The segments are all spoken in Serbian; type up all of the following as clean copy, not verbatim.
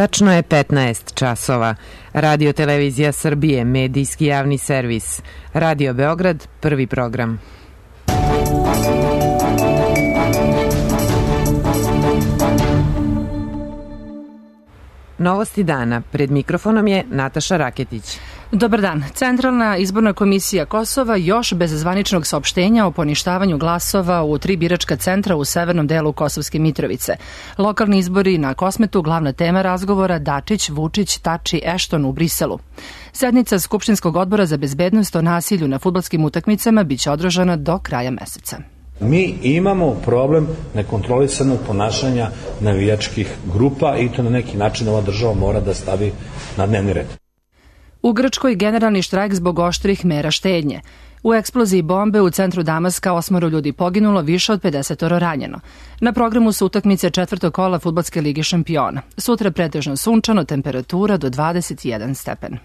Tačno je 15 časova. Radio Televizija Srbije, medijski javni servis. Radio Beograd, prvi program. Novosti dana. Pred mikrofonom je Nataša Raketić. Dobar dan. Centralna izborna komisija Kosova još bez zvaničnog saopštenja o poništavanju glasova u 3 biračka centra u severnom delu Kosovske Mitrovice. Lokalni izbori na Kosmetu, glavna tema razgovora Dačić, Vučić, Tači, Ešton u Briselu. Sednica Skupštinskog odbora za bezbednost o nasilju na fudbalskim utakmicama biće održana do kraja meseca. Mi imamo problem nekontrolisanog ponašanja navijačkih grupa i to na neki način ova država mora da stavi na dnevni red. U Grčkoj generalni štrajk zbog oštrih mera štednje. U eksploziji bombe u centru Damaska 8 ljudi poginulo, više od 50 ranjeno. Na programu su utakmice četvrtog kola Fudbalske lige šampiona. Sutra pretežno sunčano, temperatura do 21 stepen.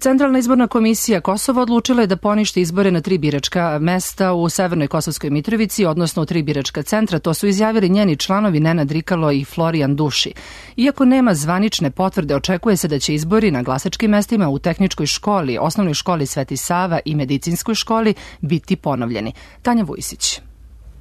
Centralna izborna komisija Kosova odlučila je da poništi izbore na 3 biračka mesta u Severnoj Kosovskoj Mitrovici, odnosno u 3 biračka centra. To su izjavili njeni članovi Nenad Rikalo i Florijan Duši. Iako nema zvanične potvrde, očekuje se da će izbori na glasačkim mestima u Tehničkoj školi, Osnovnoj školi Sveti Sava i Medicinskoj školi biti ponovljeni. Tanja Vujsić.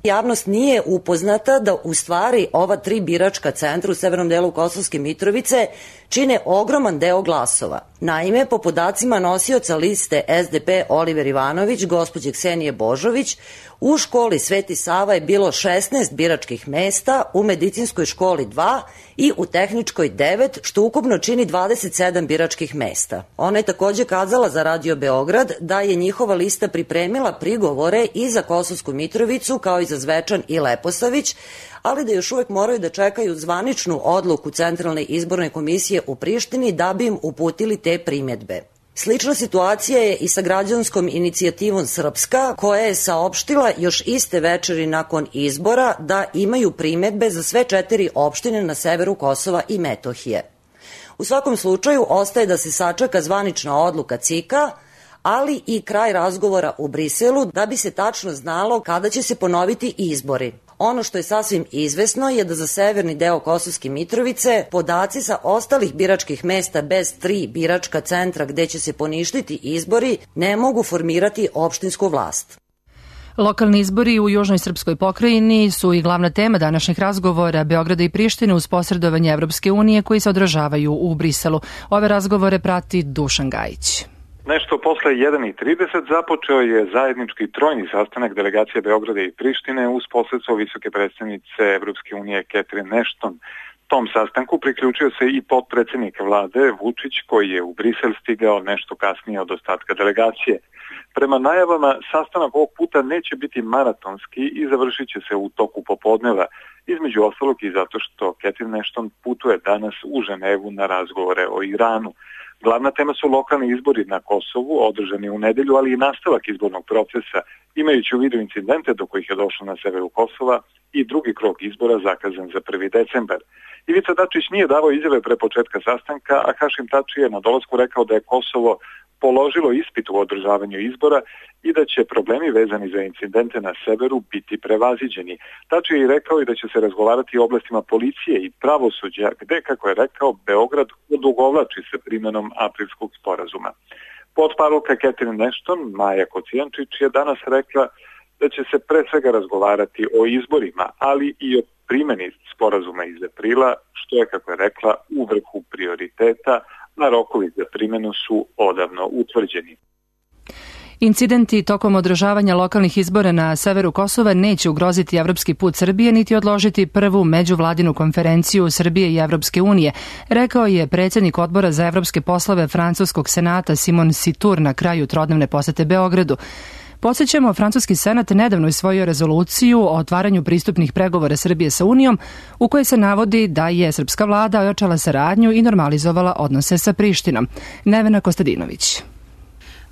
Javnost nije upoznata da u stvari ova 3 biračka centra u severnom delu Kosovske Mitrovice čine ogroman deo glasova. Naime, po podacima nosioca liste SDP Oliver Ivanović, gospođe Ksenije Božović, u školi Sveti Sava je bilo 16 biračkih mesta, u medicinskoj školi 2 i u tehničkoj 9, što ukupno čini 27 biračkih mesta. Ona je takođe kazala za Radio Beograd da je njihova lista pripremila prigovore i za Kosovsku Mitrovicu kao i za Zvečan i Leposavić, ali da još uvek moraju da čekaju zvaničnu odluku Centralne izborne komisije u Prištini da bi im uputili te primjedbe. Slična situacija je i sa građanskom inicijativom Srpska, koja je saopštila još iste večeri nakon izbora da imaju primjedbe za sve 4 opštine na severu Kosova i Metohije. U svakom slučaju ostaje da se sačeka zvanična odluka CIK-a, ali i kraj razgovora u Briselu da bi se tačno znalo kada će se ponoviti izbori. Ono što je sasvim izvesno je da za severni deo Kosovske Mitrovice podaci sa ostalih biračkih mesta bez 3 biračka centra gde će se poništiti izbori ne mogu formirati opštinsku vlast. Lokalni izbori u južnoj srpskoj pokrajini su i glavna tema današnjih razgovora Beograda i Prištine uz posredovanje Evropske unije koji se održavaju u Briselu. Ove razgovore prati Dušan Gajić. Nešto posle 1:30 započeo je zajednički trojni sastanak delegacije Beograda i Prištine uz posredstvo visoke predstavnice Evropske unije Catherine Ashton. Tom sastanku priključio se i potpredsednik vlade Vučić koji je u Brisel stigao nešto kasnije od ostatka delegacije. Prema najavama, sastanak ovog puta neće biti maratonski i završit će se u toku popodneva, između ostalog i zato što Catherine Ashton putuje danas u Ženevu na razgovore o Iranu. Glavna tema su lokalni izbori na Kosovu, održani u nedelju, ali i nastavak izbornog procesa, imajući u vidu incidente do kojih je došlo na severu Kosova i drugi krug izbora zakazan za 1. decembar. Ivica Dačić nije davao izjave pre početka sastanka, a Hašim Tači je na dolasku rekao da je Kosovo položilo ispit u održavanju izbora i da će problemi vezani za incidente na severu biti prevaziđeni. Tači je i rekao i da će se razgovarati o oblastima policije i pravosuđa, gde, kako je rekao, Beograd odugovlači sa primenom aprilskog sporazuma. Potparolka Catherine Ashton, Maja Kocijančić, je danas rekla da će se pre svega razgovarati o izborima, ali i o primeni sporazuma iz aprila, što je, kako je rekla, u vrhu prioriteta, a rokovi za primjenu su odavno utvrđeni. Incidenti tokom održavanja lokalnih izbora na severu Kosova neće ugroziti evropski put Srbije niti odložiti prvu međuvladinu konferenciju Srbije i Evropske unije, rekao je predsjednik odbora za evropske poslove Francuskog senata Simon Situr na kraju trodnevne posete Beogradu. Podsjećamo, Francuski senat nedavno usvojio rezoluciju o otvaranju pristupnih pregovora Srbije sa Unijom, u kojoj se navodi da je srpska vlada ojačala saradnju i normalizovala odnose sa Prištinom. Nevena Kostadinović.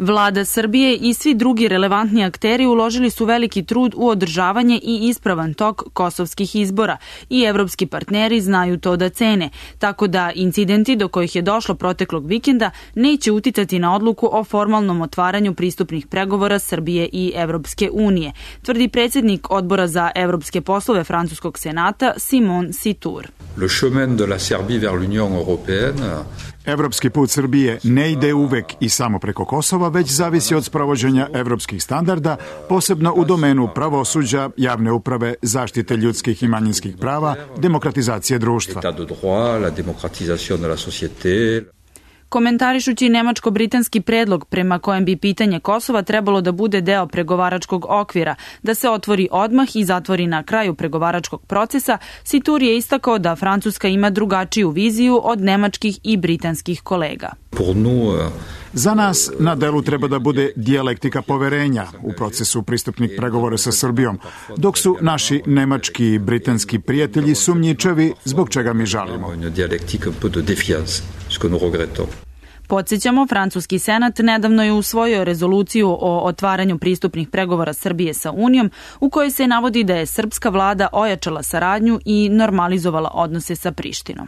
Vlada Srbije i svi drugi relevantni akteri uložili su veliki trud u održavanje i ispravan tok kosovskih izbora i evropski partneri znaju to da cene, tako da incidenti do kojih je došlo proteklog vikenda neće uticati na odluku o formalnom otvaranju pristupnih pregovora Srbije i Evropske unije, tvrdi predsjednik Odbora za evropske poslove Francuskog senata Simon Sitour. Le chemin de la Serbie vers l'Union européenne. Evropski put Srbije ne ide uvek i samo preko Kosova, već zavisi od sprovođenja evropskih standarda, posebno u domenu pravosuđa, javne uprave, zaštite ljudskih i manjinskih prava, demokratizacije društva. Komentarišući nemačko-britanski predlog prema kojem bi pitanje Kosova trebalo da bude deo pregovaračkog okvira, da se otvori odmah i zatvori na kraju pregovaračkog procesa, Sitour je istakao da Francuska ima drugačiju viziju od nemačkih i britanskih kolega. Za nas na delu treba da bude dijalektika poverenja u procesu pristupnih pregovora sa Srbijom, dok su naši nemački i britanski prijatelji sumnjičavi, zbog čega mi žalimo. Podsjećamo, francuski senat nedavno je usvojio rezoluciju o otvaranju pristupnih pregovora Srbije sa Unijom, u kojoj se navodi da je srpska vlada ojačala saradnju i normalizovala odnose sa Prištinom.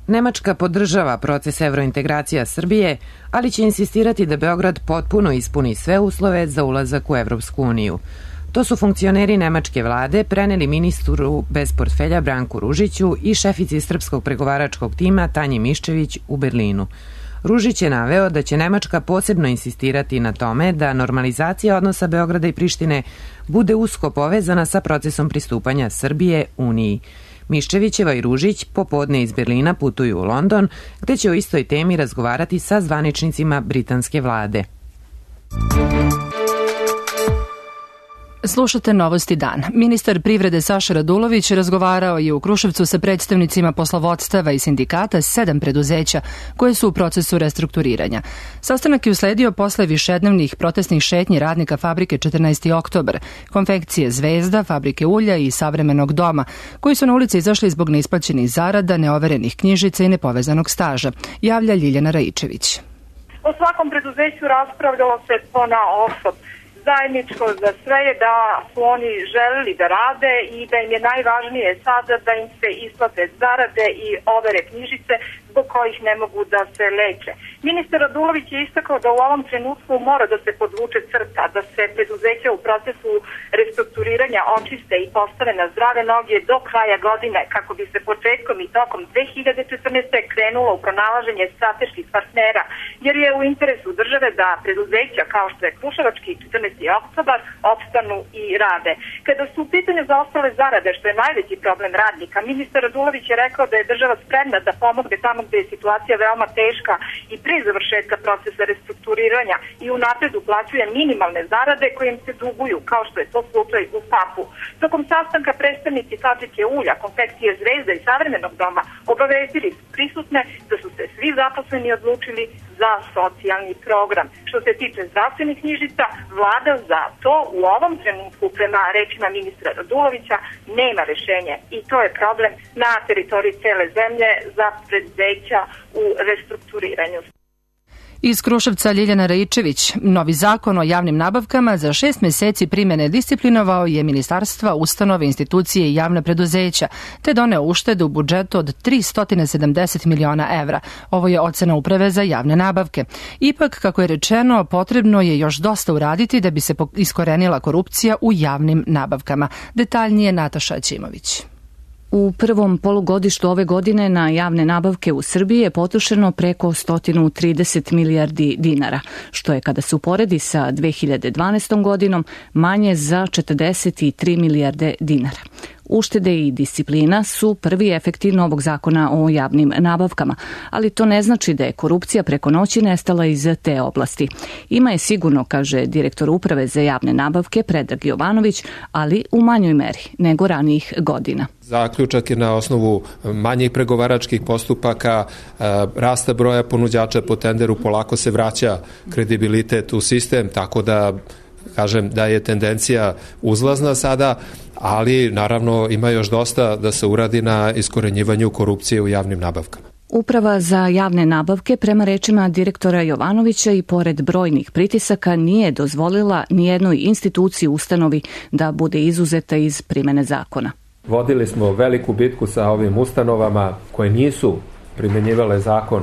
Nemačka podržava proces evrointegracija Srbije, ali će insistirati da Beograd potpuno ispuni sve uslove za ulazak u Evropsku uniju. To su funkcioneri nemačke vlade preneli ministru bez portfelja Branku Ružiću i šefici srpskog pregovaračkog tima Tanji Miščević u Berlinu. Ružić je naveo da će Nemačka posebno insistirati na tome da normalizacija odnosa Beograda i Prištine bude usko povezana sa procesom pristupanja Srbije Uniji. Miščevićeva i Ružić popodne iz Berlina putuju u London, gde će o istoj temi razgovarati sa zvaničnicima britanske vlade. Slušate Novosti dan. Ministar privrede Saša Radulović razgovarao je u Kruševcu sa predstavnicima poslovodstava i sindikata 7 preduzeća koje su u procesu restrukturiranja. Sastanak je usledio posle višednevnih protestnih šetnji radnika fabrike 14. oktobar, konfekcije Zvezda, fabrike ulja i Savremenog doma, koji su na ulici izašli zbog neisplaćenih zarada, neoverenih knjižica i nepovezanog staža, javlja Ljiljana Raičević. O svakom preduzeću raspravljalo se ponaosob. Zajedničko za sve je da su oni želeli da rade i da im je najvažnije sada da im se isplate zarade i overe knjižice zbog kojih ne mogu da se leče. Ministar Radulović je istakao da u ovom trenutku mora da se podvuče crta, da se preduzeća u procesu restrukturiranja očiste i postave na zdrave noge do kraja godine kako bi se početkom i tokom 2014. krenulo u pronalaženje strateških partnera, jer je u interesu države da preduzeća kao što je Kruševački 14. oktobar opstanu i rade. Kada su u pitanju zaostale zarade, što je najveći problem radnika, ministar Radulović je rekao da je država spremna da pomogne tamo gde je situacija veoma teška i pre završetka procesa restrukturiranja i unapred uplaćuje minimalne zarade koje im se duguju, kao što je to slučaj u FAP-u. Tokom sastanka predstavnici fabrike ulja, konfekcije Zvezda i Savremenog doma obavestili su prisutne da su se svi zaposleni odlučili za socijalni program. Što se tiče zdravstvenih knjižica, vlada za to u ovom trenutku, prema rečima ministra Radulovića, nema rešenje i to je problem na teritoriji cele zemlje za preduzeća u restrukturiranju. Iz Kruševca Ljiljana Raičević. Novi zakon o javnim nabavkama za 6 meseci primjene disciplinovao je ministarstva, ustanove, institucije i javna preduzeća, te doneo uštede u budžetu od 370 miliona evra. Ovo je ocena Uprave za javne nabavke. Ipak, kako je rečeno, potrebno je još dosta uraditi da bi se iskorenila korupcija u javnim nabavkama. Detaljnije Nataša Ćimović. U prvom polugodištu ove godine na javne nabavke u Srbiji je potrošeno preko 130 milijardi dinara, što je kada se uporedi sa 2012. godinom manje za 43 milijarde dinara. Uštede i disciplina su prvi efekti novog zakona o javnim nabavkama, ali to ne znači da je korupcija preko noći nestala iz te oblasti. Ima je sigurno, kaže direktor Uprave za javne nabavke Predrag Jovanović, ali u manjoj meri nego ranijih godina. Zaključak je na osnovu manjih pregovaračkih postupaka, rasta broja ponuđača po tenderu, polako se vraća kredibilitet u sistem, tako da kažem da je tendencija uzlazna sada, ali naravno ima još dosta da se uradi na iskorenjivanju korupcije u javnim nabavkama. Uprava za javne nabavke, prema rečima direktora Jovanovića, i pored brojnih pritisaka nije dozvolila nijednoj instituciji ustanovi da bude izuzeta iz primene zakona. Vodili smo veliku bitku sa ovim ustanovama koje nisu primenjivale zakon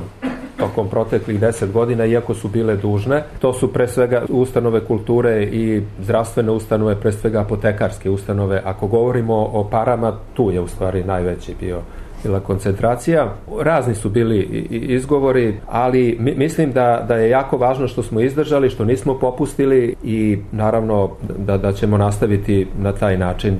tokom proteklih 10 godina, iako su bile dužne. To su pre svega ustanove kulture i zdravstvene ustanove, pre svega apotekarske ustanove. Ako govorimo o parama, tu je u stvari najveći bila koncentracija. Razni su bili izgovori, ali mislim da je jako važno što smo izdržali, što nismo popustili i naravno da ćemo nastaviti na taj način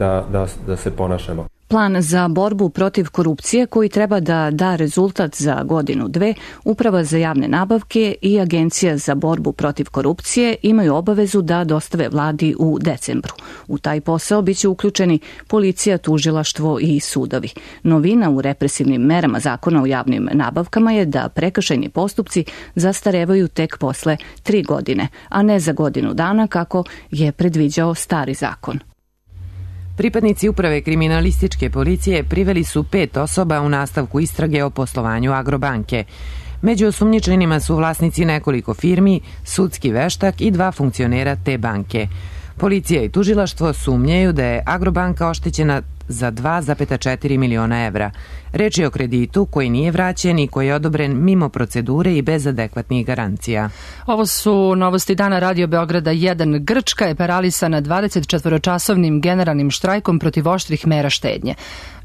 da se ponašamo. Plan za borbu protiv korupcije koji treba da da rezultat za godinu, dve, Uprava za javne nabavke i Agencija za borbu protiv korupcije imaju obavezu da dostave vladi u decembru. U taj posao biće uključeni policija, tužilaštvo i sudovi. Novina u represivnim merama Zakona o javnim nabavkama je da prekršajni postupci zastarevaju tek posle 3 godine, a ne za godinu dana kako je predviđao stari zakon. Pripadnici Uprave kriminalističke policije priveli su 5 osoba u nastavku istrage o poslovanju Agrobanke. Među osumnjičenima su vlasnici nekoliko firmi, sudski veštak i 2 funkcionera te banke. Policija i tužilaštvo sumnjaju da je Agrobanka oštećena za 2,4 miliona evra. Reč je o kreditu koji nije vraćen i koji je odobren mimo procedure i bez adekvatnih garancija. Ovo su novosti dana Radio Beograda 1. Grčka je paralisana 24-časovnim generalnim štrajkom protiv oštrih mera štednje.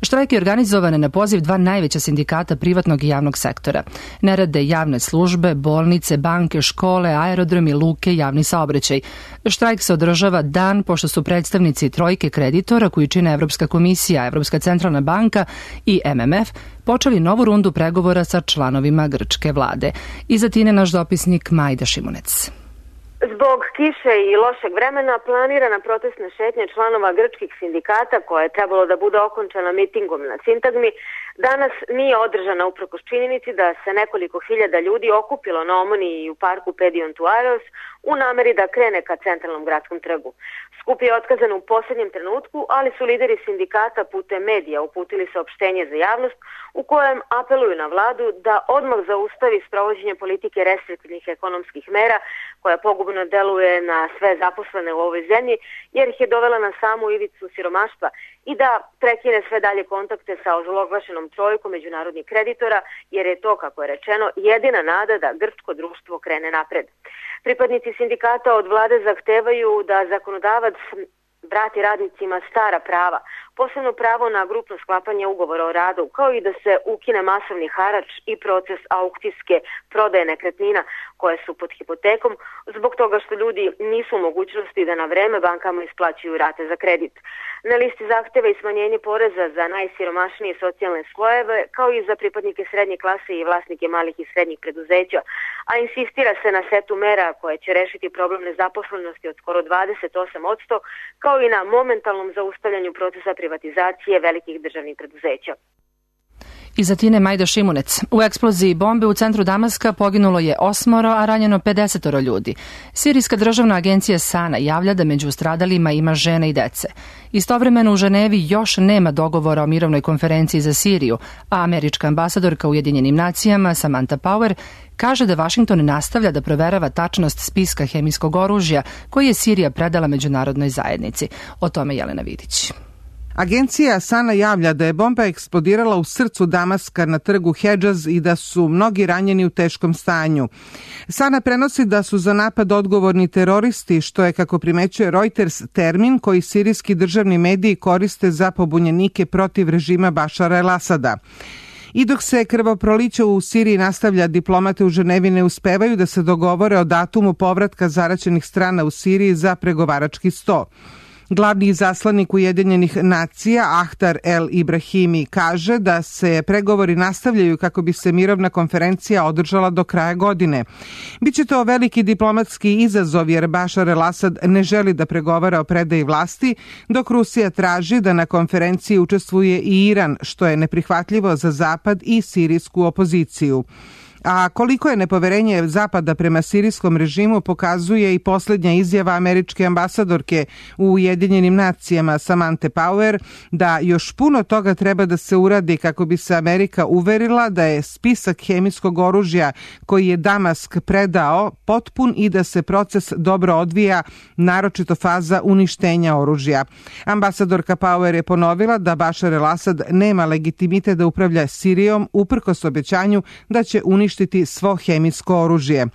Štrajk je organizovan na poziv 2 najveća sindikata privatnog i javnog sektora. Ne rade javne službe, bolnice, banke, škole, aerodromi, luke, javni saobraćaj. Štrajk se održava dan pošto su predstavnici trojke kreditora koji čine Evropska komisija, Evropska centralna banka i MMF počeli novu rundu pregovora sa članovima grčke vlade. Iz Atine naš dopisnik Majda Šimunec. Zbog kiše i lošeg vremena planirana protestna šetnja članova grčkih sindikata, koja je trebalo da bude okončana mitingom na Sintagmi, danas nije održana uprkos činjenici da se nekoliko hiljada ljudi okupilo na Omoniji i u parku Pedion-Tuareos u nameri da krene ka centralnom gradskom trgu. Skup je otkazan u posljednjem trenutku, ali su lideri sindikata putem medija uputili saopštenje za javnost u kojem apeluju na vladu da odmah zaustavi sprovođenje politike restriktivnih ekonomskih mera koja pogubno deluje na sve zaposlene u ovoj zemlji jer ih je dovela na samu ivicu siromaštva i da prekine sve dalje kontakte sa ozloglašenom trojkom međunarodnih kreditora jer je to, kako je rečeno, jedina nada da grčko društvo krene napred. Pripadnici sindikata od vlade zahtevaju da zakonodavac vrati radnicima stara prava, posebno pravo na grupno sklapanje ugovora o radu, kao i da se ukine masovni harač i proces aukcijske prodaje nekretnina koje su pod hipotekom zbog toga što ljudi nisu u mogućnosti da na vreme bankama isplaćuju rate za kredit. Na listi zahteva i smanjenje poreza za najsiromašnije socijalne slojeve, kao i za pripadnike srednje klase i vlasnike malih i srednjih preduzeća, a insistira se na setu mera koje će rešiti problem nezaposlenosti od skoro 28%, kao i na momentalnom zaustavljanju procesa privatizacije velikih državnih preduzeća. Iz Atine Majda Šimunec. U eksploziji bombe u centru Damaska poginulo je 8, a ranjeno 50 ljudi. Sirijska državna agencija SANA javlja da među stradalima ima žene i dece. Istovremeno u Ženevi još nema dogovora o mirovnoj konferenciji za Siriju, a američka ambasadorka u Ujedinjenim nacijama Samantha Power kaže da Vašington nastavlja da proverava tačnost spiska hemijskog oružja koji je Sirija predala međunarodnoj zajednici. O tome Jelena Vidić. Agencija SANA javlja da je bomba eksplodirala u srcu Damaska na trgu Hedžaz i da su mnogi ranjeni u teškom stanju. SANA prenosi da su za napad odgovorni teroristi, što je, kako primećuje Reuters, termin koji sirijski državni mediji koriste za pobunjenike protiv režima Bašara el-Asada. I dok se krvoproliće u Siriji nastavlja, diplomate u Ženevi ne uspevaju da se dogovore o datumu povratka zaraćenih strana u Siriji za pregovarački sto. Glavni izaslanik Ujedinjenih nacija Ahtar El Ibrahimi kaže da se pregovori nastavljaju kako bi se mirovna konferencija održala do kraja godine. Biće to veliki diplomatski izazov jer Bašar el-Asad ne želi da pregovara o predaji vlasti, dok Rusija traži da na konferenciji učestvuje i Iran, što je neprihvatljivo za Zapad i sirijsku opoziciju. A koliko je nepoverenje Zapada prema sirijskom režimu pokazuje i posljednja izjava američke ambasadorke u Ujedinjenim nacijama Samanthe Power da još puno toga treba da se uradi kako bi se Amerika uverila da je spisak hemijskog oružja koji je Damask predao potpun i da se proces dobro odvija, naročito faza uništenja oružja. Ambasadorka Power je ponovila da Bašar el-Asad nema legitimitet da upravlja Sirijom uprkos obećanju da će uništiti svo hemijsko oružje.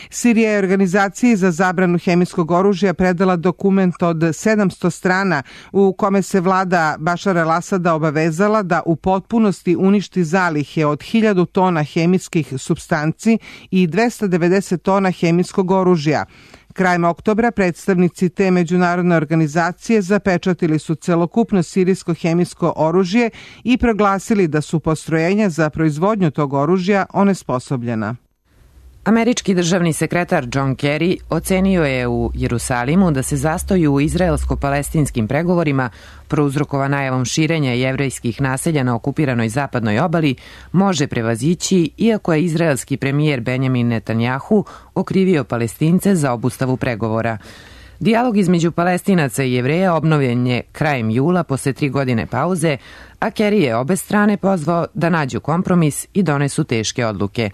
Sirija je organizaciji za zabranu hemijskog oružja predala dokument od 700 strana u kome se vlada Bašara el-Asada obavezala da u potpunosti uništi zalihe od 1000 tona hemijskih supstanci i 290 tona hemijskog oružja. Krajem oktobra predstavnici te međunarodne organizacije zapečatili su celokupno sirijsko hemijsko oružje i proglasili da su postrojenja za proizvodnju tog oružja onesposobljena. Američki državni sekretar John Kerry ocenio je u Jerusalimu da se zastoj u izraelsko-palestinskim pregovorima prouzrokovan najavom širenja jevrejskih naselja na okupiranoj zapadnoj obali može prevazići, iako je izraelski premijer Benjamin Netanjahu okrivio Palestince za obustavu pregovora. Dijalog između Palestinaca i Jevreja obnovljen je krajem jula posle 3 godine pauze, a Kerry je obe strane pozvao da nađu kompromis i donesu teške odluke.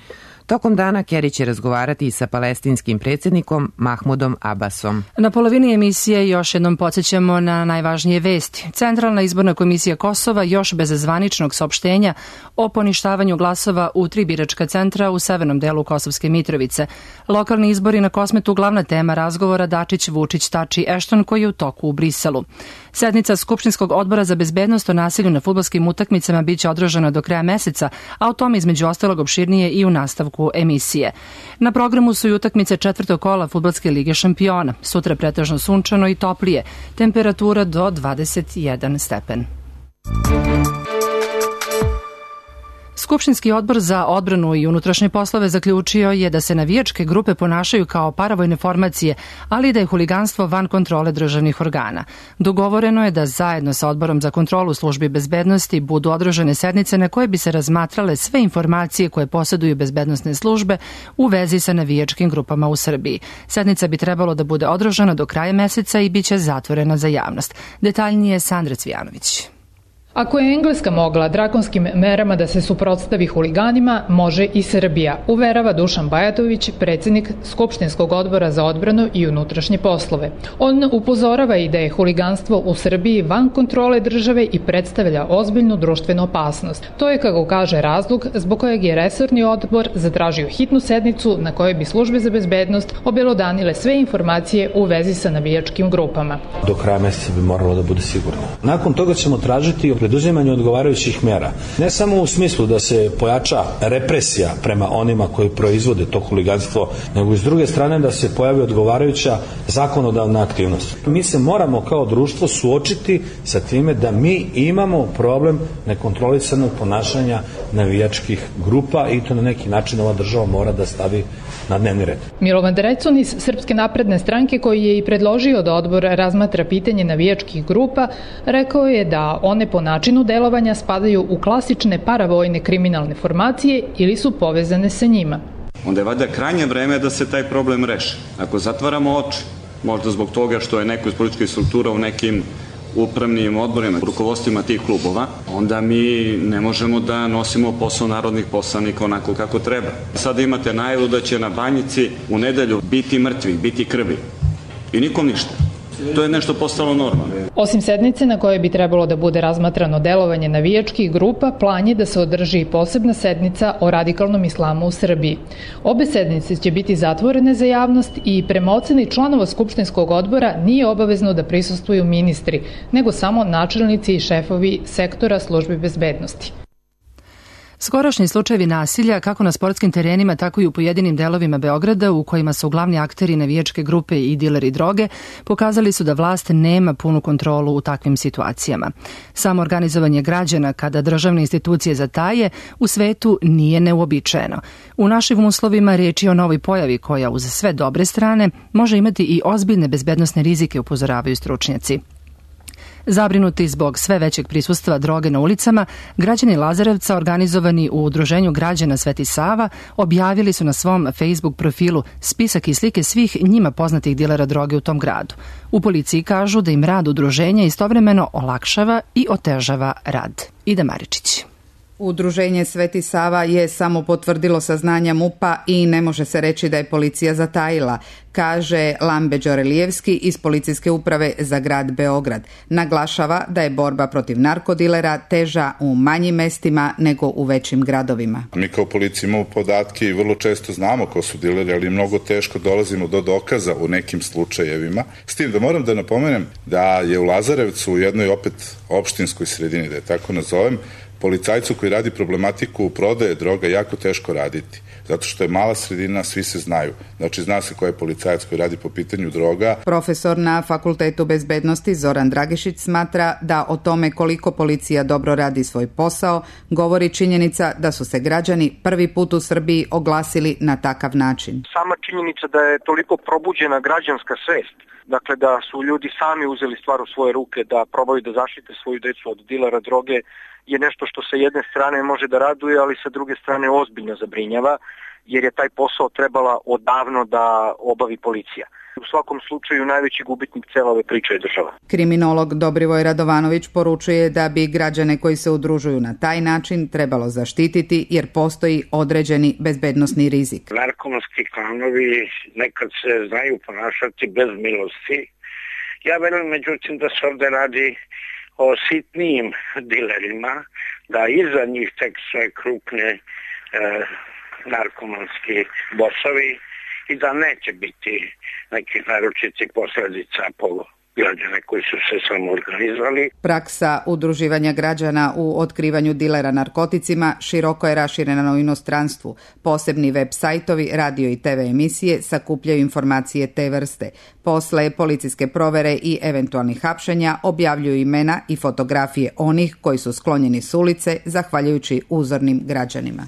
Tokom dana Kerry će razgovarati sa palestinskim predsjednikom Mahmudom Abbasom. Na polovini emisije još jednom podsjećamo na najvažnije vesti. Centralna izborna komisija Kosova još bez zvaničnog saopštenja o poništavanju glasova u 3 biračka centra u severnom delu Kosovske Mitrovice. Lokalni izbori na Kosmetu glavna tema razgovora Dačić-Vučić-Tači-Ešton koji je u toku u Briselu. Sednica Skupštinskog odbora za bezbednost o nasilju na fudbalskim utakmicama biće održana do kraja meseca, a o tome između ostalog opširnije i u nastavku emisije. Na programu su i utakmice 4. kola Fudbalske lige šampiona. Sutra pretežno sunčano i toplije. Temperatura do 21 stepen. Skupštinski odbor za odbranu i unutrašnje poslove zaključio je da se navijačke grupe ponašaju kao paravojne formacije, ali da je huliganstvo van kontrole državnih organa. Dogovoreno je da zajedno sa Odborom za kontrolu službi bezbednosti budu održane sednice na koje bi se razmatrale sve informacije koje posjeduju bezbednosne službe u vezi sa navijačkim grupama u Srbiji. Sednica bi trebalo da bude održana do kraja meseca i bit će zatvorena za javnost. Detaljnije Sandra Cvijanović. Ako je Engleska mogla drakonskim merama da se suprotstavi huliganima, može i Srbija, uverava Dušan Bajatović, predsjednik Skupštinskog odbora za odbranu i unutrašnje poslove. On upozorava i da je huliganstvo u Srbiji van kontrole države i predstavlja ozbiljnu društvenu opasnost. To je, kako kaže, razlog zbog kojeg je resorni odbor zatražio hitnu sednicu na kojoj bi službe za bezbednost obelodanile sve informacije u vezi sa navijačkim grupama. Do kraja meseca bi moralo da bude sigurno. Nakon toga ćemo tražiti preduzimanje odgovarajućih mera. Ne samo u smislu da se pojača represija prema onima koji proizvode to huliganstvo, nego i s druge strane da se pojavi odgovarajuća zakonodavna aktivnost. Mi se moramo kao društvo suočiti sa time da mi imamo problem nekontrolisanog ponašanja navijačkih grupa i to na neki način ova država mora da stavi na dnevni red. Milovan Drecun iz Srpske napredne stranke, koji je i predložio da odbor razmatra pitanje navijačkih grupa, rekao je da one po načinu delovanja spadaju u klasične paravojne kriminalne formacije ili su povezane sa njima. Onda je valjda krajnje vreme da se taj problem reši. Ako zatvaramo oči, možda zbog toga što je neko iz političkih struktura u nekim upravnim odborima, rukovodstvima tih klubova, onda mi ne možemo da nosimo posao narodnih poslanika onako kako treba. Sada imate najavu da će na Banjici u nedelju biti mrtvi, biti krvi. I nikom ništa. To je nešto postalo normalno. Osim sednice na kojoj bi trebalo da bude razmatrano delovanje navijačkih grupa, plan je da se održi posebna sednica o radikalnom islamu u Srbiji. Obe sednice će biti zatvorene za javnost i prema oceni članova Skupštinskog odbora nije obavezno da prisustvuju ministri, nego samo načelnici i šefovi sektora službe bezbednosti. Skorašnji slučajevi nasilja, kako na sportskim terenima, tako i u pojedinim delovima Beograda, u kojima su glavni akteri navijačke grupe i dileri droge, pokazali su da vlast nema punu kontrolu u takvim situacijama. Samo organizovanje građana kada državne institucije zataje u svetu nije neuobičajeno. U našim uslovima riječ je o novoj pojavi koja uz sve dobre strane može imati i ozbiljne bezbednosne rizike, upozoravaju stručnjaci. Zabrinuti zbog sve većeg prisustva droge na ulicama, građani Lazarevca organizovani u Udruženju građana Sveti Sava objavili su na svom Facebook profilu spisak i slike svih njima poznatih dilera droge u tom gradu. U policiji kažu da im rad udruženja istovremeno olakšava i otežava rad. Ida Maričić. Udruženje Sveti Sava je samo potvrdilo saznanja MUP-a i ne može se reći da je policija zatajila, kaže Lambe Đorelijevski iz Policijske uprave za grad Beograd. Naglašava da je borba protiv narkodilera teža u manjim mestima nego u većim gradovima. Mi kao policija imamo podatke i vrlo često znamo ko su dileri, ali mnogo teško dolazimo do dokaza u nekim slučajevima. S tim da moram da napomenem da je u Lazarevcu u jednoj opet opštinskoj sredini, da je tako nazovem, policajcu koji radi problematiku prodaje droga jako teško raditi, zato što je mala sredina, svi se znaju. Znači, zna se ko je policajac koji radi po pitanju droga. Profesor na Fakultetu bezbednosti Zoran Dragišić smatra da o tome koliko policija dobro radi svoj posao govori činjenica da su se građani prvi put u Srbiji oglasili na takav način. Sama činjenica da je toliko probuđena građanska svest, dakle da su ljudi sami uzeli stvar u svoje ruke, da probaju da zaštite svoju decu od dilera droge, je nešto što sa jedne strane može da raduje, ali sa druge strane ozbiljno zabrinjava, jer je taj posao trebala odavno da obavi policija. U svakom slučaju najveći gubitnik cele ove priče je država. Kriminolog Dobrivoj Radovanović poručuje da bi građane koji se udružuju na taj način trebalo zaštititi, jer postoji određeni bezbednosni rizik. Narkomanski klanovi nekad se znaju ponašati bez milosti. Ja verujem međutim da se ovde radi o sitnijim dilerima, da iza njih tek sve krupne narkomanski bosovi i da neće biti nekih naročitih posledica po građane koji su se samoorganizovali. Praksa udruživanja građana u otkrivanju dilera narkoticima široko je raširena u inostranstvu. Posebni web sajtovi, radio i TV emisije sakupljaju informacije te vrste. Posle policijske provere i eventualnih hapšenja objavljuju imena i fotografije onih koji su sklonjeni s ulice zahvaljujući uzornim građanima.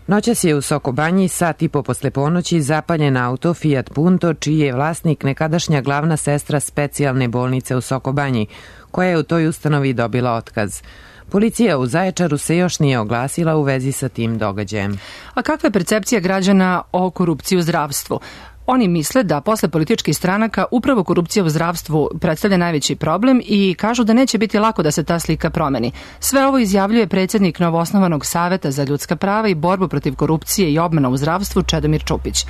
Noćas je u Sokobanji sat i po posle ponoći zapaljen auto Fiat Punto, čiji je vlasnik nekadašnja glavna sestra specijalne bolnice u Sokobanji, koja je u toj ustanovi dobila otkaz. Policija u Zaječaru se još nije oglasila u vezi sa tim događajem. A kakva je percepcija građana o korupciji u zdravstvu? Oni misle da posle političkih stranaka upravo korupcija u zdravstvu predstavlja najveći problem i kažu da neće biti lako da se ta slika promeni. Sve ovo izjavljuje predsjednik novoosnovanog Saveta za ljudska prava i borbu protiv korupcije i obmana u zdravstvu Čedomir Čupić.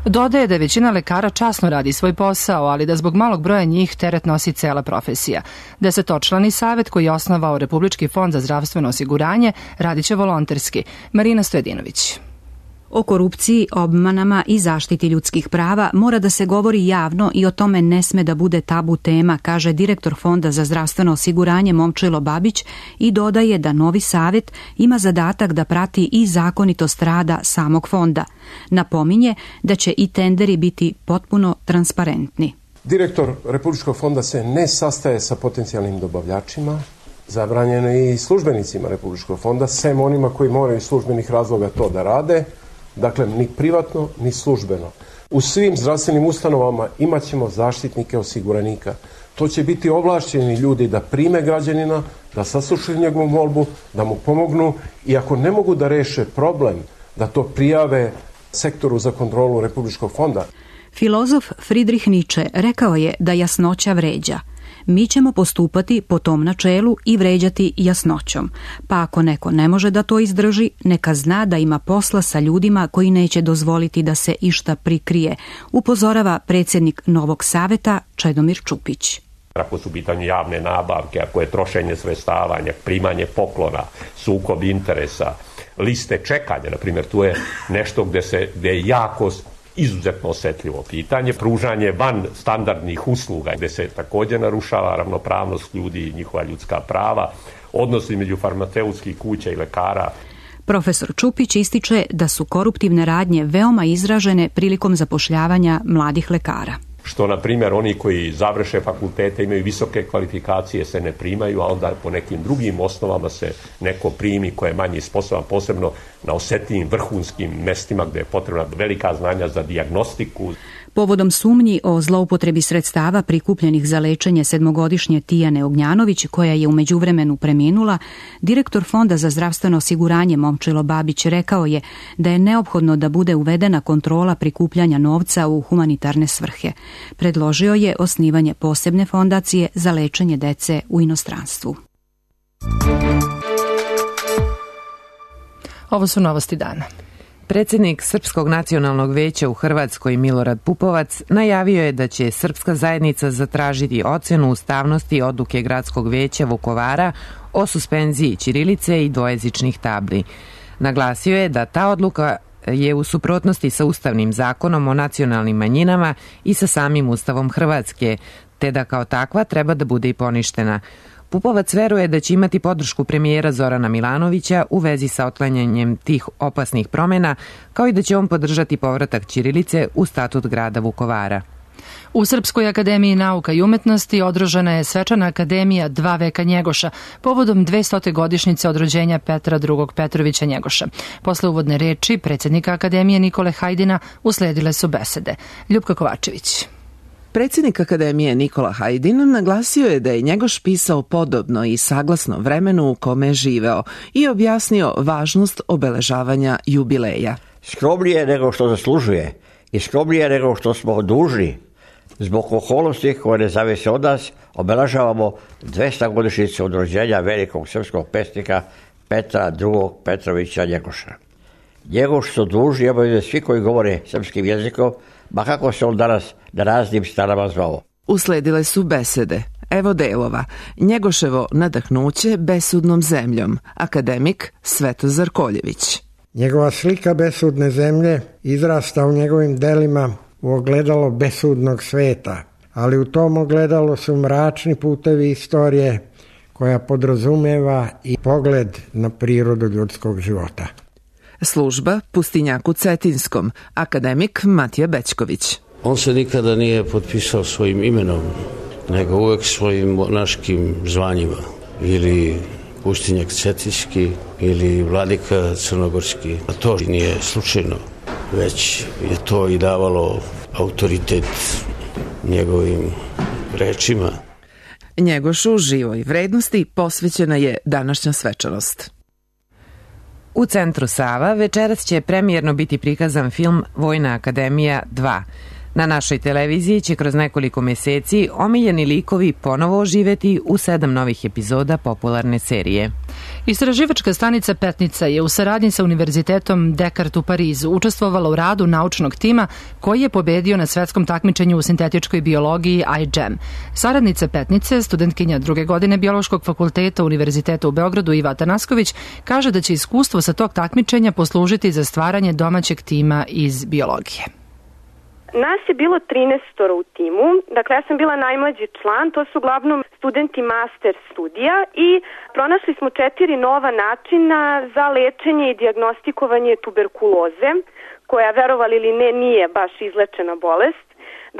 Dodaje da većina lekara časno radi svoj posao, ali da zbog malog broja njih teret nosi cela profesija. 10-člani savet koji je osnovao Republički fond za zdravstveno osiguranje radiće volonterski. Marina Stojedinović. O korupciji, obmanama i zaštiti ljudskih prava mora da se govori javno i o tome ne sme da bude tabu tema, kaže direktor Fonda za zdravstveno osiguranje Momčilo Babić i dodaje da novi savet ima zadatak da prati i zakonitost rada samog fonda. Napominje da će i tenderi biti potpuno transparentni. Direktor Republičkog fonda se ne sastaje sa potencijalnim dobavljačima, zabranjeno i službenicima Republičkog fonda, sem onima koji moraju iz službenih razloga to da rade. Dakle, ni privatno, ni službeno. U svim zdravstvenim ustanovama imat ćemo zaštitnike osiguranika. To će biti ovlašćeni ljudi da prime građanina, da saslušaju njegovu molbu, da mu pomognu i ako ne mogu da reše problem, da to prijave sektoru za kontrolu Republičkog fonda. Filozof Friedrich Nietzsche rekao je da jasnoća vređa. Mi ćemo postupati po tom načelu i vređati jasnoćom. Pa ako neko ne može da to izdrži, neka zna da ima posla sa ljudima koji neće dozvoliti da se išta prikrije, upozorava predsjednik Novog saveta Čedomir Čupić. Ako su pitanje javne nabavke, ako je trošenje sredstava, primanje poklona, sukob interesa, liste čekanja, na primjer, tu je nešto gde je jako izuzetno osetljivo pitanje, pružanje van standardnih usluga gde se također narušava ravnopravnost ljudi i njihova ljudska prava, odnos između farmaceutskih kuća i lekara. Profesor Čupić ističe da su koruptivne radnje veoma izražene prilikom zapošljavanja mladih lekara. Što, na primjer, oni koji završe fakultete, imaju visoke kvalifikacije, se ne primaju, a onda po nekim drugim osnovama se neko primi koje je manje sposoban, posebno na osetljivim vrhunskim mestima gde je potrebna velika znanja za dijagnostiku. Povodom sumnji o zloupotrebi sredstava prikupljenih za lečenje 7-godišnje Tijane Ognjanović, koja je u međuvremenu preminula, direktor Fonda za zdravstveno osiguranje Momčilo Babić rekao je da je neophodno da bude uvedena kontrola prikupljanja novca u humanitarne svrhe. Predložio je osnivanje posebne fondacije za lečenje dece u inostranstvu. Ovo su novosti dana. Predsjednik Srpskog nacionalnog veća u Hrvatskoj Milorad Pupovac najavio je da će srpska zajednica zatražiti ocenu ustavnosti odluke Gradskog veća Vukovara o suspenziji ćirilice i dvojezičnih tabli. Naglasio je da ta odluka je u suprotnosti sa Ustavnim zakonom o nacionalnim manjinama i sa samim Ustavom Hrvatske, te da kao takva treba da bude i poništena. Pupovac veruje da će imati podršku premijera Zorana Milanovića u vezi sa otklanjanjem tih opasnih promjena, kao i da će on podržati povratak ćirilice u statut grada Vukovara. U Srpskoj akademiji nauka i umetnosti održana je svečana akademija 2 veka Njegoša povodom 200. godišnjice od rođenja Petra II. Petrovića Njegoša. Posle uvodne reči predsjednika akademije Nikole Hajdina usledile su besede. Ljupka Kovačević. Predsjednik Akademije Nikola Hajdin naglasio je da je Njegoš pisao podobno i saglasno vremenu u kome je živeo i objasnio važnost obeležavanja jubileja. Skromnije nego što zaslužuje i skromnije nego što smo dužni, zbog okolnosti koje ne zavise od nas, obeležavamo 200 godišnjicu od rođenja velikog srpskog pesnika Petra II. Petrovića Njegoša. Njegoš su dužni obavljaju svi koji govore srpskim jezikom, ma kako se on danas na raznim stranama zvao. Usledile su besede. Evo delova. Njegoševo nadahnuće besudnom zemljom. Akademik Svetozar Koljević. Njegova slika besudne zemlje izrasta u njegovim delima u ogledalo besudnog sveta, ali u tom ogledalu su mračni putevi istorije koja podrazumeva i pogled na prirodu ljudskog života. Služba Pustinjaku Cetinskom, akademik Matija Bećković. On se nikada nije potpisao svojim imenom, nego uvek svojim monaškim zvanjima, ili Pustinjak Cetinski, ili Vladika Crnogorski. A to nije slučajno, već je to i davalo autoritet njegovim rečima. Njegošu živoj vrednosti posvećena je današnja svečanost. U centru Sava večeras će premijerno biti prikazan film Vojna akademija 2. Na našoj televiziji će kroz nekoliko meseci omiljeni likovi ponovo oživeti u 7 novih epizoda popularne serije. Istraživačka stanica Petnica je u saradnji sa Univerzitetom Descartes u Parizu učestvovala u radu naučnog tima koji je pobedio na svetskom takmičenju u sintetičkoj biologiji iGEM. Saradnica Petnice, studentkinja 2. godine Biološkog fakulteta Univerziteta u Beogradu Iva Atanasković, kaže da će iskustvo sa tog takmičenja poslužiti za stvaranje domaćeg tima iz biologije. Nas je bilo 13 u timu, dakle ja sam bila najmlađi član, to su uglavnom studenti master studija i pronašli smo 4 nova načina za lečenje i dijagnostikovanje tuberkuloze, koja, verovali ili ne, nije baš izlečena bolest.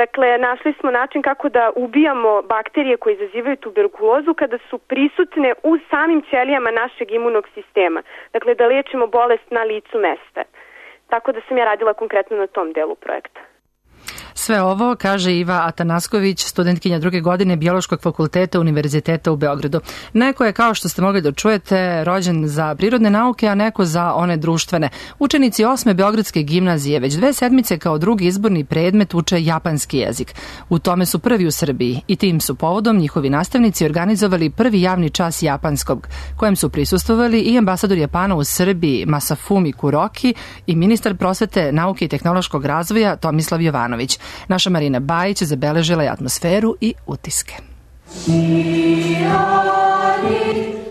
Dakle, našli smo način kako da ubijamo bakterije koje izazivaju tuberkulozu kada su prisutne u samim ćelijama našeg imunog sistema. Dakle, da liječimo bolest na licu mesta. Tako da sam ja radila konkretno na tom delu projekta. Sve ovo, kaže Iva Atanasković, studentkinja 2. godine Biološkog fakulteta Univerziteta u Beogradu. Neko je, kao što ste mogli da čujete, rođen za prirodne nauke, a neko za one društvene. Učenici 8. Beogradske gimnazije već 2 sedmice kao drugi izborni predmet uče japanski jezik. U tome su prvi u Srbiji i tim su povodom njihovi nastavnici organizovali prvi javni čas japanskog, kojem su prisustvovali i ambasador Japana u Srbiji Masafumi Kuroki i ministar prosvete, nauke i tehnološkog razvoja Tomislav Jovanović. Naša Marina Bajić zabeležila je atmosferu i utiske.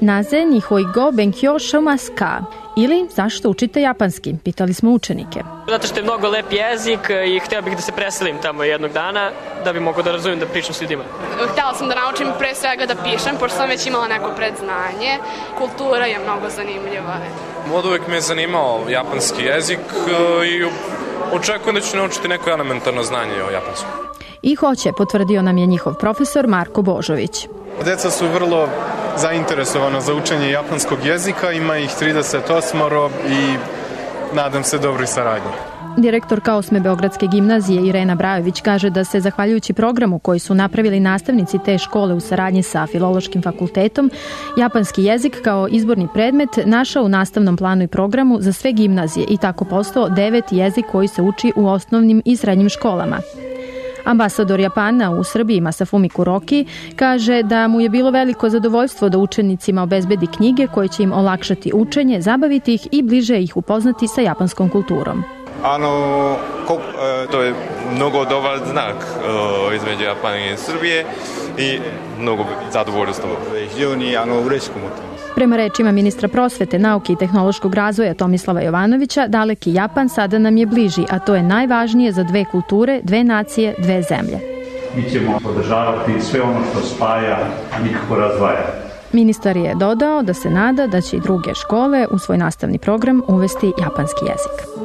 Naze nihoi go benkyou shimasu ka? Ili zašto učite japanski? Pitali smo učenike. Zato što je mnogo lep jezik i htio bih da se preselim tamo jednog dana da bi mogao da razumijem da pričam s ljudima. Htjela sam da naučim pre svega da pišem, pošto sam već imala neko predznanje. Kultura je mnogo zanimljiva. Od uvek me je zanimao japanski jezik i očekujem da ću naučiti neko elementarno znanje o japanskom. I hoće, potvrdio nam je njihov profesor Marko Božović. Deca su vrlo zainteresovana za učenje japanskog jezika, ima ih 38 i nadam se dobroj saradnji. Direktorka 8. Beogradske gimnazije Irena Brajović kaže da se, zahvaljujući programu koji su napravili nastavnici te škole u saradnji sa Filološkim fakultetom, japanski jezik kao izborni predmet našao u nastavnom planu i programu za sve gimnazije i tako postao 9. jezik koji se uči u osnovnim i srednjim školama. Ambasador Japana u Srbiji Masafumi Kuroki kaže da mu je bilo veliko zadovoljstvo da učenicima obezbedi knjige koje će im olakšati učenje, zabaviti ih i bliže ih upoznati sa japanskom kulturom. To je mnogo dobar znak između Japana i Srbije i mnogo zadovoljstvo. Prema rečima ministra prosvete, nauke i tehnološkog razvoja Tomislava Jovanovića, daleki Japan sada nam je bliži, a to je najvažnije za dve kulture, dve nacije, dve zemlje. Mi ćemo podržavati sve ono što spaja, a nikako razdvaja. Ministar je dodao da se nada da će i druge škole u svoj nastavni program uvesti japanski jezik.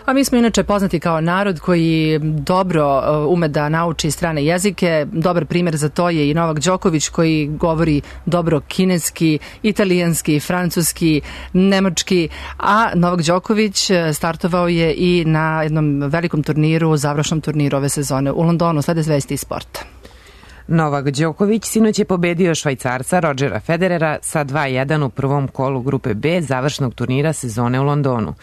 A mi smo inače poznati kao narod koji dobro ume da nauči strane jezike. Dobar primjer za to je i Novak Đoković koji govori dobro kineski, italijanski, francuski, nemački, a Novak Đoković startovao je i na jednom velikom turniru, završnom turniru ove sezone u Londonu. Slede zvesti iz sporta. Novak Đoković sinoć je pobedio Švajcarca Rodgera Federera sa 2:1 u prvom kolu grupe B završnog turnira sezone u Londonu.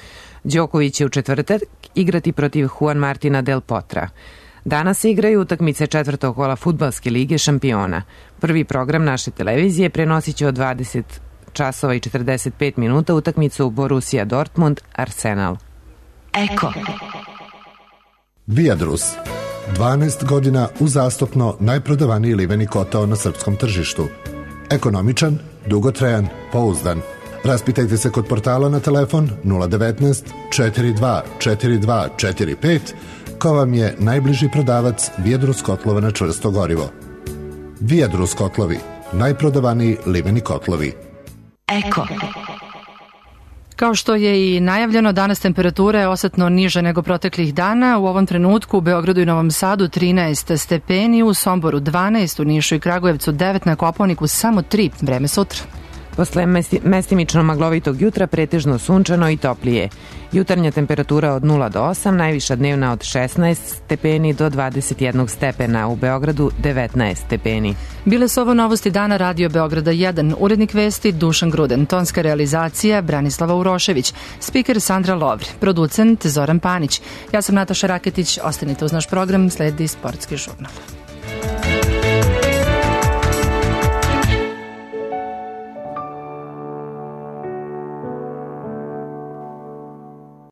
Đoković će u četvrtak igrati protiv Juan Martina del Potra. Danas se igraju utakmice četvrtog kola fudbalske lige šampiona. Prvi program naše televizije prenosit će od 20 časova i 45 minuta utakmicu Borussia Dortmund Arsenal. Eko. Viadrus. 12 godina uzastopno najprodavaniji liveni kotao na srpskom tržištu. Ekonomičan, dugotrajan, pouzdan. Raspitajte se kod portala na telefon 019 42 42 45 ko vam je najbliži prodavac Viadrus kotlova na čvrsto gorivo. Viadrus kotlovi, najprodavaniji liveni kotlovi. Eko. Kao što je i najavljeno, danas temperatura je osetno niža nego proteklih dana. U ovom trenutku u Beogradu i Novom Sadu 13 stepeni, u Somboru 12, u Nišu i Kragujevcu 9, na Kopaoniku samo 3. Vreme sutra. Posle mestimično maglovitog jutra pretežno sunčano i toplije. Jutarnja temperatura od 0 do 8, najviša dnevna od 16 stepeni do 21 stepena, u Beogradu 19 stepeni. Bile su ovo novosti dana Radio Beograda 1, urednik vesti Dušan Gruden, tonska realizacija Branislava Urošević, spiker Sandra Lovri, producent Zoran Panić. Ja sam Nataša Raketić, ostanite uz naš program, sledi sportski žurnal.